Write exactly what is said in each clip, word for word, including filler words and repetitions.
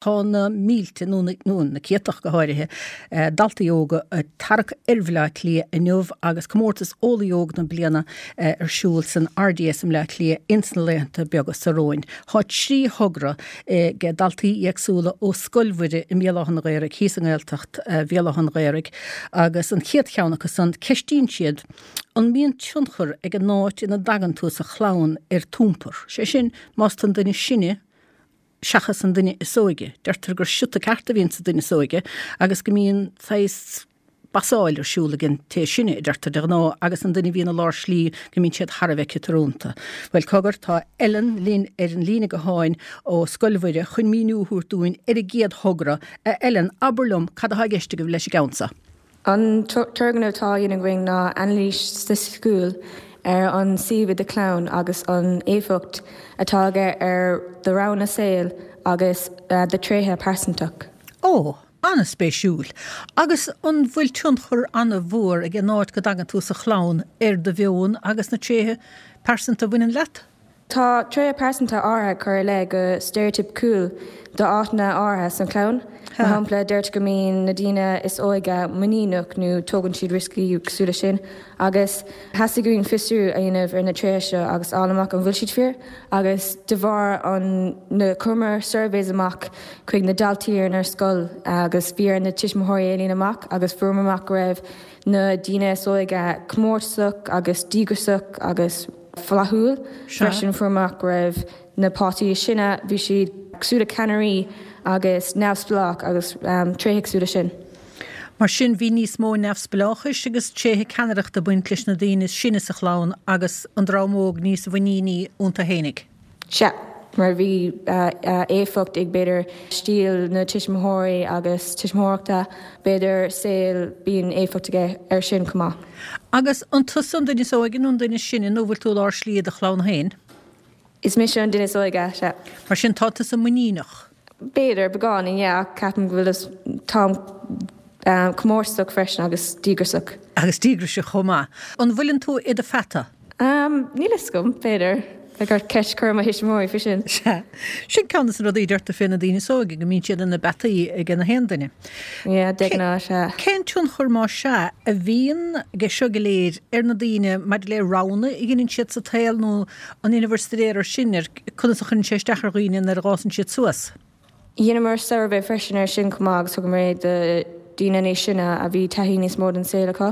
Tá na mílte nó na céadta go háirithe daltaí óga ag tarrac ar Bhaile Átha Cliath inniu agus comórtas Eolaí Óg na bliana ar siúl san R D S i mBleá Cliath ins na laethanta beaga seo romhainn. Tá trí thogra ag daltaí éagsúla ó Scoil Mhuire i mBéal Átha an Ghaorthaidh thíos i nGaeltacht Bhéal Átha an Ghaorthaidh, agus an chéad cheann acu san, ceistíonn siad an mbíonn tionchar ag an áit ina dtagann tú sa chlann ar d'iompar. Sé sin, más an duine sine seachas an duine is óige. Deirtear gur siota ceart a bhíonn sa duine is óige agus go mbíonn saghas basáil ar siúl ag an té sine, deirtear de ghnáth, agus an duine bhíonn i lár slí go mbíonn siad thar a bheith ciotrúnta. Well, cogar, tá Ellen linn ar an líne gutháin ó Scoil Mhuire chun míniú a thabhairt dúinn ar a gcéad thogra. A Ellen, abair liom cad atá i gceist agaibh leis an gceann seo. An turgnamh atá á dhéanamh againn ná anailís staitistiúil ar an suíomh i do chlann agus an éifeacht atá aige ar do roghanna saoil agus do tréithe pearsantach. Ó, an-spéisiúil. Agus an bhfuil tionchar an-mhór ag an áit go dtagann tú sa chlann ar do mheon agus na tréithe pearsanta a bhaineann leat? Tá tréithe pearsanta áirithe cur le go steiréitipiciúil d'áiteanna áirithe san chlann. Mar shampla, deirtear go mbíonn na daoine is óige muiníneach nó tógann siad rioscaí cosúil leis sin, agus theastaigh uainn fiosrú a dhéanamh ar na tréithe seo agus fháil amach an bhfuil siad fíor, agus de bharr an na chuireamar surveys amach chuig na daltaí ar ar scoil agus bhí ar na tuismitheoirí é líonadh amach, agus fuaireamar amach go raibh na daoine is óige comórtasach agus díograiseach agus flaithiúil. Freisin, fuaireamar amach go raibh na páistí is sine, bhí siad cosúil le ceannairí agus neamhspleách agus um, tréithe cosúil leis sin. Mar sin, bhí níos mó neamhspleáchais agus tréithe ceannaireachta baint leis na daoine is sine sa chlann agus an dream óg níos muiníní iontu fhéinig. Sea, mar bhí uh, uh, éifeacht ag b'fhéidir stíl na tuismitheoirí agus tuismitheoireachta, b'fhéidir saol, bíonn éifeacht aige ar sin chomh maith. Agus an tusa an duine is óige nó an duine sine, nó bhfuil tú lár slí do chlann féin? Is mise an duine is óige, sea. Mar sin, tá tusa muiníneach. B'fhéidir beagáinín, yeah, ceapaim go bhfuil tá um, comórtasach freisin agus díograiseach. Agus díograiseach chomh maith. An bhfuileann tú i do pheata? Um, Níl a fhios agam, b'fhéidir. Gur ceist chur mo thuismitheoirí faoi sin. Sea, sin ceann de na rudaí deirtear fé na daoine is óige, go mbíonn siad ina bpeataí ag na haon duine. Yeah, de ghnáth, sea. Cén tionchar, má sea, a bhíonn aige seo go léir ar na daoine maidir le roghanna a dhéanann siad sa tsaol, nó an ndéanann staidéar ar sin, ar conas a chuireann sé isteach ar dhaoine nuair a fhásann siad suas? Dheineamar suirbhé freisin ar sin chomh maith agus thugamar é do daoine níos sine a bhí taithí níos mó den saol acu,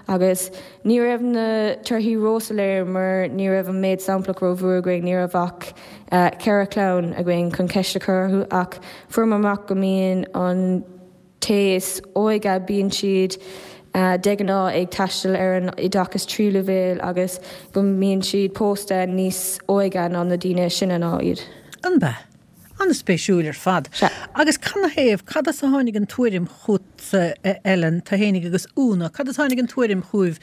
agus ní raibh na torthaí róshoiléir mar ní raibh an méid samplach rómhór againn, ní raibh ach uh, ceithre chlann againn chun ceist a chur orthu, ach fuaireamar amach go mbíonn an té is óige, bíonn siad uh, de ghnáth ag taisteal ar an oideachas tríú leibhéal agus go mbíonn siad pósta níos óige ná na daoine sine ná iad. An bea? An-spéisiúil ar fad. Sea. Agus canathaobh, cad as a tháinig an tuairim chugatsa, Ellen, tú fhéinig agus Úna, cad as a tháinig an tuairim chugaibh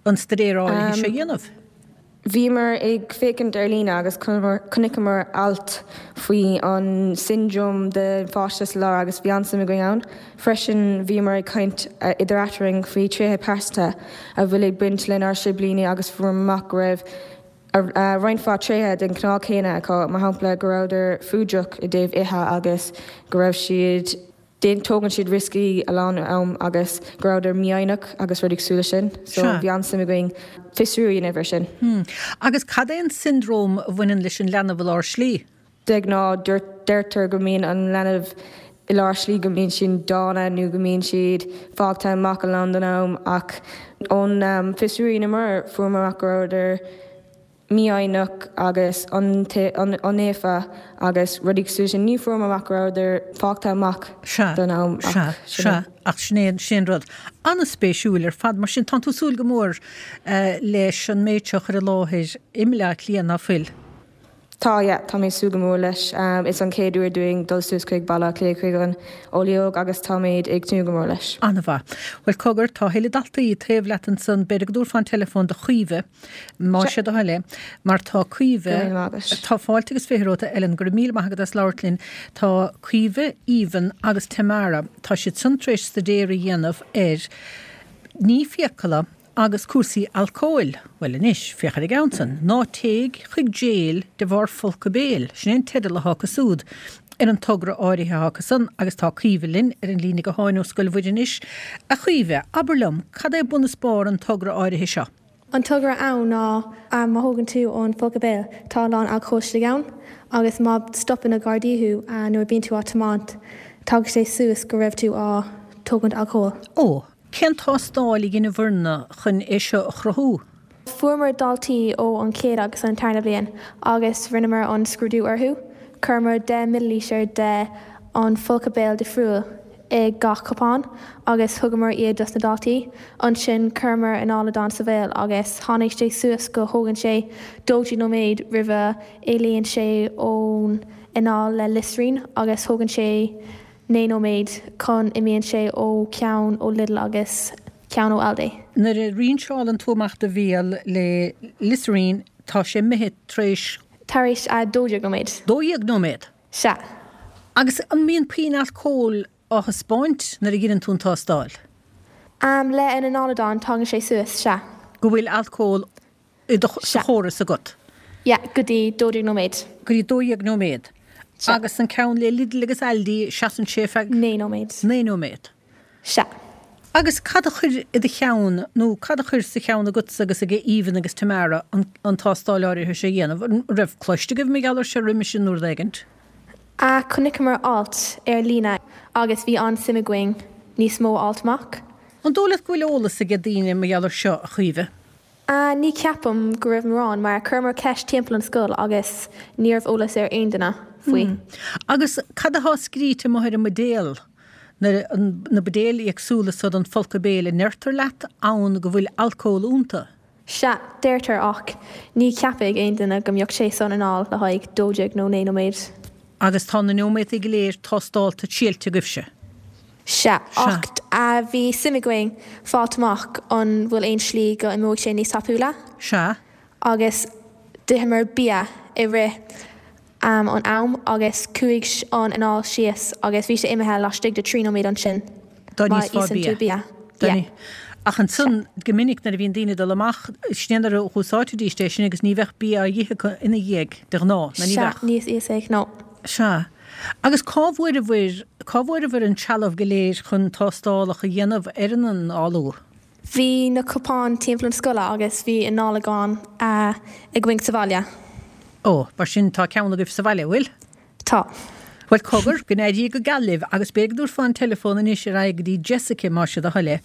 an staidéar áirithe seo a dhéanamh? Bhíomar ag féachaint ar líne agus chonaiceamar alt faoi an syndrome de pháiste sa lár agus bhí an-suim againn ann. Freisin, bhíomar ag caint idir eadrainn faoi tréithe pearsanta a bhfuil ag baint lenár siblíní agus fuaireamar amach go raibh roinnt mhaith tréithe den chineál céanna acu, mar shampla go rabhadar fuadach i dtaobh ithe agus go raibh siad tógann siad rioscaí a lán am agus go rabhadar mífhoighneach agus rudaí cosúil leis sin. So bhí an-suim againn fiosrú a dhéanamh ar sin. Hmm. Agus cad é an syndrome a bhaineann leis an leanbh i lár slí? De ghnáth, deirtear go mbíonn an leanbh i lár slí, go mbíonn siad dána nó go mbíonn siad fágtha amach a lán den am, ach ón um, fiosrú a rinneamar, fuaireamar amach go rabhadar mífhoighneach agus iontaofa agus rudaí cosúil sin. Ní fuaireamar amach go rabhadar fágtha amach den am. Sea, sea, ach sin é sin rud an-spéisiúil ar fad. Mar sin, tá tú ag súil go mór uh, leis an méid seo chur i láthair i mBleá Cliath, ná fuil? Tá, yeah, tá mé súil go mór leis. um, is an chéad uair dúinn dul suas chuig Baile Átha Cliath chuig an Eolaí Óg agus táimid ag tnúth go mór leis. An-mhaith. Well, cogar, tá thuilleadh daltaí taobh leat ansan, b'fhéidir go dtabharfá an telefón do Chaoimhe, má sé do thoil é, mar tá Caoimhe, tá fáilte agus fiche romhat, Ellen, go raibh míle maith agat as labhairt linn. Tá Caoimhe, Aoibhinn agus Tamara, tá siad san tar éis staidéar a dhéanamh ar ní fiacla agus cúrsaí alcóil. Well, anois, féach ar an gceann san. "Ná téigh chuig jail de bharr folcadh béil." Sin é an teideal atá acu siúd ar an togra áirithe acusan agus tá Caoimhe linn ar an líne gutháin ó Scoil Mhuire anois. A Chaoimhe, abair liom, cad é bun is barr an togra áirithe seo? An togra ann ná má thógann tú an folcadh béil, tá a lán alcóil istigh ann agus má stopann na Gardaí thú nuair a bíonn tú á tiomáint, tagann sé suas go raibh tú á tógaint alcóil. Ó, cén tástáil a dhéanamh chun é seo a chruthú? Fuaireamar daltaí ó an chéad agus an tarna bliain agus rinneamar an scrúdú orthu, chuireamar deich millilítear de an folcadh béil difriúil i gach cupán agus thugamar iad dos na daltaí. Ansin chuireamar análadán sa bhéal agus tháinig sé suas go thógann sé dó dhéag nóiméad roimh éalaíonn sé ón anáil le Listerine agus thógann sé naoi nóiméad chun imíonn sé ó ceann ó Lidl agus ceann ó Aldi. Nuair a rinseálann tú amach do bhéal le Listerine tá sé imithe tar éis Tar éis a dó dhéag nóiméad. Dó dhéag nóiméad? Sea. Agus an mbíonn puinn alcóil á thaispeáint nuair a dhéanann tú an tástáil? Um, le an análadán tagann sé suas, sea. Go bhfuil alcól i do sa chóras agat? Yeah, go dtí dó dhéag nóiméad. Go dtí dó dhéag nóiméad. Agus an ceann le Lidl agus Aldi seasann sé feadh Naoi nóiméad. Naoi nóiméad. Sea. Agus cad a chuir i do cheann nó cad a chuir sa cheann agatsa agus ag Aoibhinn agus Tamara an, an tástáil áirithe seo a dhéanamh, an raibh cloiste agaibh mar gheall air seo roimhe sin nó rud éigint? A chonaiceamar alt ar líne agus bhí an-suim againn níos mó alt amach. An dóigh leat go bhfuil eolas ag daoine mar gheall air seo a Chaoimhe? Uh, ní ceapaim go raibh mórán mar chuireamar ceist timpeall an scoil agus ní raibh eolas ar aon duine faoi. Hmm. Agus cad atá scríte amuigh ar an mbuidéal? Na, na buidéil éagsúla so don folcadh béil an ndeirtear leat ann go bhfuil alcól iontu. Sea, deirtear ach ní cheapfaidh aon duine go mbeadh sé san anáil le haghaidh dó dhéag nó naoi nóiméad. Agus tá na nóiméadaí go léir tástáilte triailte agaibhse. Sea, ach uh, bhí suim againn fáilt amach an bhfuil aon slí go imeodh sé níos tapúla. Sea. Agus d'itheamar bia i rith um, an am agus chuaigh an anáil síos agus bhí sé imithe laistigh de trí nóiméad ansin. Dá Má níos fá íosann tú bia. bia. Dá Yeah. ní- Ach ansan go minic nuair a bhíonn daoine dul amach sin a úsáidfidís é sin agus ní bheadh bia á ithe acu ina dhiaidh de ghnáth, nó ní Sea, bheadh. níos íosfaidh, no. Sea. Agus cá bhfuair cá bhfuaireabhair an trealamh go léir chun tástálacha a dhéanamh ar an análú? Bhí na cupáin timpeall an scoile agus bhí análadán uh, againn sa bhaile. Ó, mar sin tá ceann agaibh sa bhaile bhfuil? Tá. Well cogar go n-éirí go geal libh agus b'fhéidir go dtabharfá an telefón anois ar aghaidh go dtí Jessica más é do thoil é.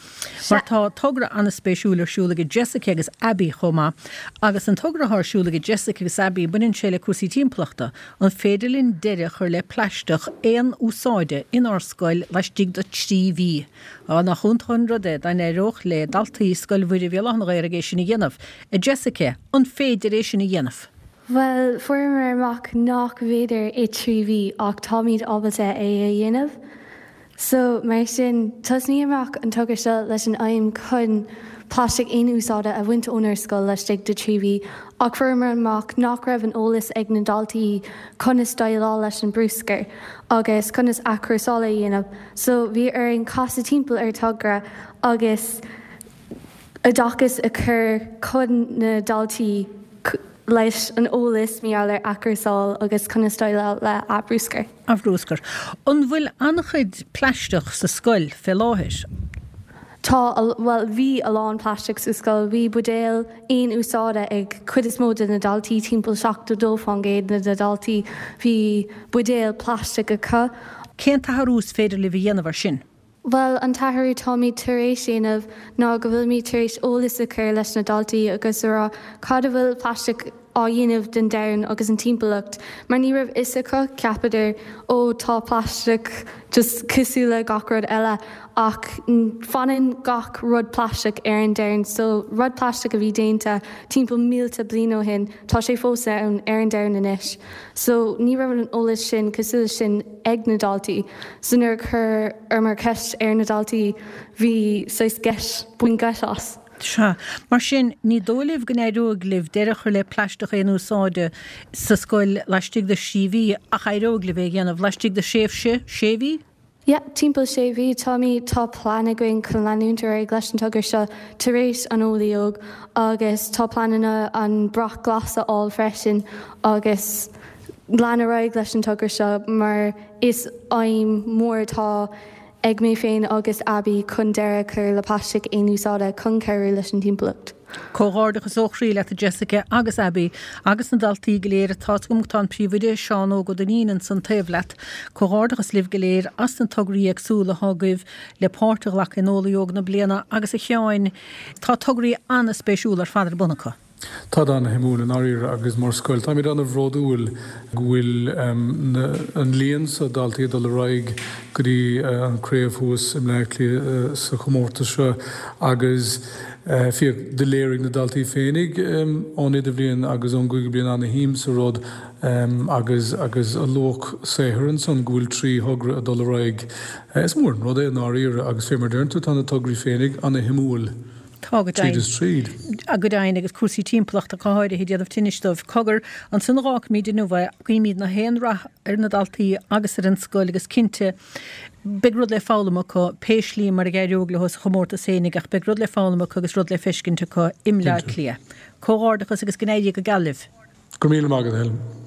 Mar tá togra an-spéisiúil ar siúl ag Jessica agus Abby chomh maith, agus an togra ar siúl ag Jessica agus Abby baineann sé le cúrsaí timpeallachta, an féidir linn deireadh a chur le plaisteach aon úsáide inár scoil laistigh de trí mhí. Á nach iontach an rud é dá n-éireodh le daltaí Scoil Mhuire Bhéal Átha na Ghaorthaidh é sin a dhéanamh. A Jessica, an féidir é sin a dhéanamh. Well, fuaireamar amach nach bhféidir i trí mhí ach táimid ábalta é a dhéanamh. So mar sin tosnaíodh amach an togra seo leis an aidhm chun plaisteach aon úsáide a bhaint ónár scoil laistigh de trí mhí, ach fuaireamar amach nach raibh an eolas ag na daltaí conas déileáil leis an bruscar agus conas athchúrsáil a dhéanamh. So bhí orainn casadh timpeall ar togra agus oideachas a chur chun na daltaí leis an eolas mar gheall ar athchúrsáil agus conas déileáil le bruscar. A bhruscar. An bhfuil an-chuid plaisteach sa scoil fé láthair? Tá well bhí a lán plaisteach sa scoil, bhí buidéal aon úsáide ag cuid is mó de na daltaí timpeall seachtó dó faoin gcéad na daltaí bhí buidéal plaisteach acu. Cén t-athrú is féidir libh a dhéanamh ar sin? Well an t-athrú táimid tar éis déanamh ná go bhfuilimid tar éis eolas a chur leis na daltaí agus a rá cad a bhfuil plaisteach á dhéanamh den domhan agus an timpeallacht, mar ní raibh fhios acu ceapadar ó tá plaisteach just cosúil le gach rud eile ach fanann gach rud plaisteach ar an domhan, so rud plaisteach a bhí déanta timpeall mílte bliain ó shin tá sé fós ann ar an domhan anois. So ní raibh an eolas sin cosúil sin ag na daltaí, so nuair chuireamar ceist ar na daltaí bhí saghas geit bhain geit as. Sea, mar sin ní dóigh libh go n-éireoidh libh deireadh a chur le plaisteach aon úsáide sa scoil laistigh de thrí mhí ach éireoidh libh é a dhéanamh laistigh de thréimhse sé mhí? Ja, timpeall sé mhí táimid tá plean againn chun leanúint ar aghaidh leis an togra seo tar éis an Eolaí Óg agus tá pleananna an brat glas a fháil freisin agus lean ar aghaidh leis an togra seo mar is aidhm mór atá ag mé féin agus Abby chun deireadh a chur le plaisteach aon úsáide chun cabhrú leis an timpeallacht. Comhghairdeachas ó chroí leat a Jessica agus Abby agus na daltaí go léir. Tá's agam tá an príomhoide Seán Óg Ó Duinnín ansan taobh leat. Comhghairdeachas libh go léir as na tograí éagsúla atá agaibh le páirt a ghlacadh in Eolaí Óg na Bliana agus a Sheáin, tá tograí an-spéisiúla ar fad ar bun acu. Tá ana-shuimiúil i ndáiríre agus mar scoil táimid ana-bhródúil go bhfuil an líon so daltaí ag dul ar aghaidh go dtí an craobh thuas i mBleá Cliath sa chomórtas seo agus féach do léirigh na daltaí féinig ón idirbhliain agus ón gcúigiú bliain ana-shuim sa rud agus agus a luach saothair ansan go bhfuil trí thogra ag dul ar aghaidh. Is mór an rud é i ndáiríre agus fé mar deireann tú tá na tograí féinig ana-shuimiúil. Tá, go Tríd is tríd. Go deimhin, agus cúrsaí timpeallachta go háirithe ag déanamh tinnis dóibh. Cogar, ansan a dh'fhágfaimid inniu é, guímid na haon rath ar na daltaí agus ar an scoil agus cinnte, beidh rud le foghlaim acu, pé slí mar a dh'éireoidh leo sa chomórtas fhéinig ach beidh rud le foghlaim acu agus rud le feiscint acu i mBleá Cliath. Comhghairdeachas agus go n-éirí go geal libh. Go raibh míle maith agat, Helen.